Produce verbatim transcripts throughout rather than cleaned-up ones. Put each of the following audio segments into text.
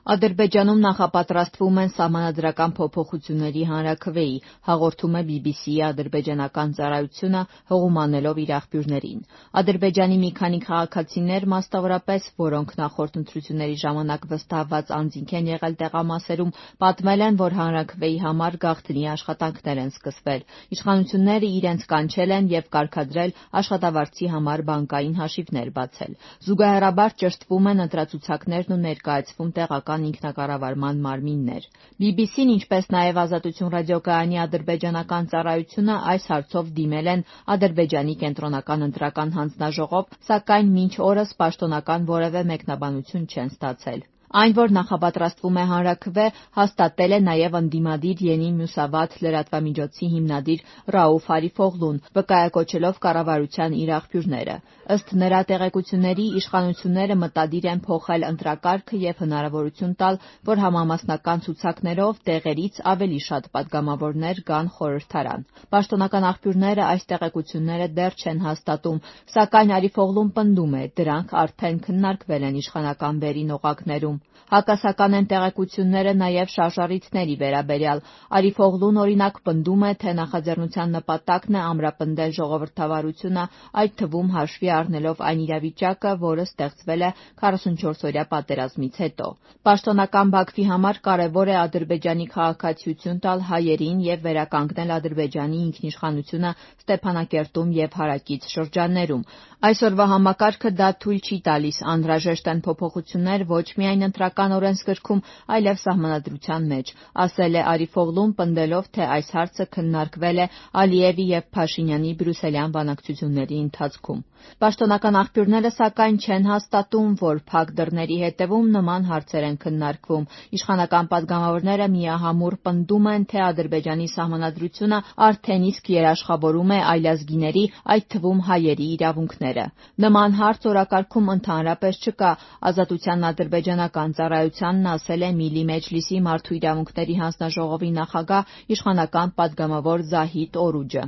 Ադրբեջանում նախապատրաստվում են սահմանադրական փոփոխությունների հանրաքվեի, հաղորդում է բի բի սի-ի ադրբեջանական ծառայությունը՝ հղում անելով իր աղբյուրներին։ Ադրբեջանի մի քանի քաղաքացիներ, մասնավորապես, որոնք նախորդ ընտրությունների ժամանակ վստահված անձինք են եղել տեղամասերում, պատմել են, որ հանրաքվեի համար գաղտնի աշխատանքներ են սկսվել։ Իշխանությունները իրենց կանչել են և կարգադրել աշխատավարձի համար բանկային հաշիվներ բացել։ Զուգահեռաբար ճշտվում են ընտրացուցակներն ու ներկայացվում տեղական ինքնակառավարման մարմիններ։ բի բի սի-ն, ինչպես նաև Ազատություն ռադիոկայանի ադրբեջանական ծառայությունը այս հարցով դիմել են Ադրբեջանի կենտրոնական ընտրական հանձնաժողով, սակայն մինչ օրս պաշտոնական որևէ մեկնաբանություն չեն ստացել։ Այն, որ նախապատրաստվում է հանրաքվե, հաստատել է նաև ընդդիմադիր Ենի Մյուսավաթ լրատվամիջոցի հիմնադիր Ռաուֆ Արիֆօղլուն, վկայակոչելով կառավարության իր աղբյուրները։ Ըստ նրա տեղեկությունների, իշխանությունները մտադիր են փոխել ընտրակարգը և հնարավորություն տալ, որ համամասնական ցուցակներով տեղերից ավելի շատ պատգամավորներ գան խորհրդարան։ Պաշտոնական աղբյուրները այս տեղեկությունները դեռ չեն հաստատում, սակայն Արիֆօղլուն պնդում է՝ դրանք արդեն քննարկվել են իշխանական վերին օղակներում։ Հակասական են տեղեկությունները նաև շարժառիթների վերաբերյալ։ Արիֆօղլուն, օրինակ, պնդում է, թե նախաձեռնության նպատակն է ամրապնդել ժողովրդավարությունը, այդ թվում հաշվի առնելով այն իրավիճակը, որը ստեղծվել է քառասունչորսօրյա պատերազմից հետո։ Պաշտոնական Բաքվի համար կարևոր է Ադրբեջանի քաղաքացիություն տալ հայերին և վերականգնել Ադրբեջանի ինքնիշխանությունը Ստեփանակերտում և հարակից շրջաններում։ Այսօրվա համակարգը դա թույլ չի տալիս, անհրաժեշտ են փոփոխություններ ոչ միայն ընտրական օրենսգրքում, այլև սահմանադրության մեջ, ասել է Արիֆօղլուն, պնդելով, թե այս հարցը քննարկվել է Ալիևի և Փաշինյանի բրյուսելյան բանակցությունների ընթացքում։ Պաշտոնական աղբյուրները, սակայն, չեն հաստատում, որ փակ դռների հետևում նման հարցեր են քննարկվում։ Իշխանական պատգամավորները միահամուռ պնդում են, թե Ադրբեջանի սահմանադրությունը արդեն իսկ երաշխավորում է այլազգիների, այդ թվում հայերի իրավունքները։ Նման հարց օրակարգում ընդհանրապես չկա։ Ազատության ադրբեջանական ծառայությանն ասել է Միլի Մեջլիսի մարդու իրավունքների հանձնաժողովի նախագահ, իշխանական պատգամավոր Զահիդ Օրուջը։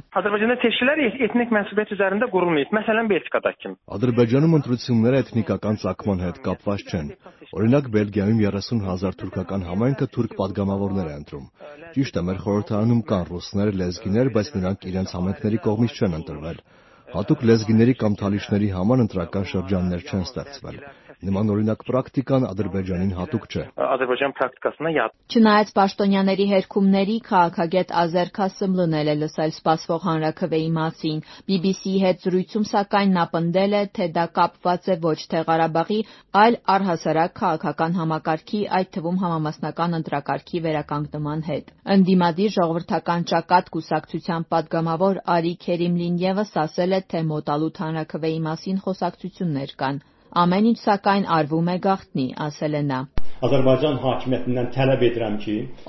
Ադրբեջանում ընտրությունները էթնիկական ծագման հետ կապված չեն։ Օրինակ, Բելգիայում երեսուն հազար թուրքական համայնքը թուրք պատգամավորներ է ընտրում։ Ճիշտ է, մեր խորհրդարանում կան ռուսներ, լեզգիներ, բայց նրանք իրենց համայնքների կողմից չեն ընտրվել։ Հատուկ լեզգիների կամ թալիշների համար ընտրական շրջաններ չեն ստեղծվել։ Նման օրինակ պրակտիկան Ադրբեջանին հատուկ չէ։ Չնայած պաշտոնյաների հերքումների, քաղաքագետ Ազեր Քասымլուն էլ է լսել սպասվող հանրաքվեի մասին։ բի բի սի-ի հետ զրույցում, սակայն, նա պնդել է, թե դա կապված է ոչ թե Ղարաբաղի, այլ առհասարակ քաղաքական համակարգի, այդ թվում համամասնական ընտրակարգի վերականգնման հետ։ Ընդդիմադիր ժողովրդական ճակատ կուսակցության պատգամավոր Արի Քերիմլին ևս ասել է, թե մոտալուտ հանրաքվեի մասին խոսակցություններ կան։ Ամեն ինչ, սակայն, արվում է գաղտնի, ասել է նա։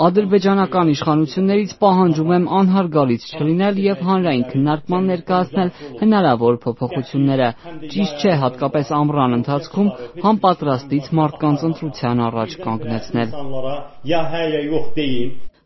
Ադրբեջանական իշխանություններից պահանջում եմ անհարգալից չլինել և հանրային քննարկման ներկայացնել հնարավոր փոփոխությունները։ Ճիշտ չէ հատկապես ամռան ընթացքում հանպատրաստից մարդկանց ընտրության առաջ կանգնեցնել։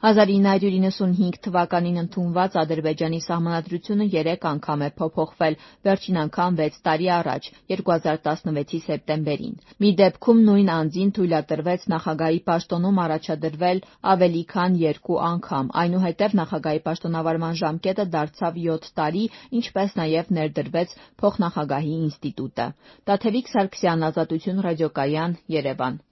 հազար ինը հարյուր իննսունհինգ թվականին ընդունված Ադրբեջանի սահմանադրությունը երեք անգամ է փոփոխվել, վերջին անգամ վեց տարի առաջ՝ երկու հազար տասնվեցի սեպտեմբերին։ Մի դեպքում նույն անձին թույլատրվեց նախագահի պաշտոնում առաջադրվել ավելի քան երկու անգամ, այնուհետև նախագահի պաշտոնավարման ժամկետը դարձավ յոթ տարի, ինչպես նաև ներդրվեց փոխնախագահի ինստիտուտը։ Տաթևիկ Սարգսյան, Ազատություն ռադիոկայան, Երևան։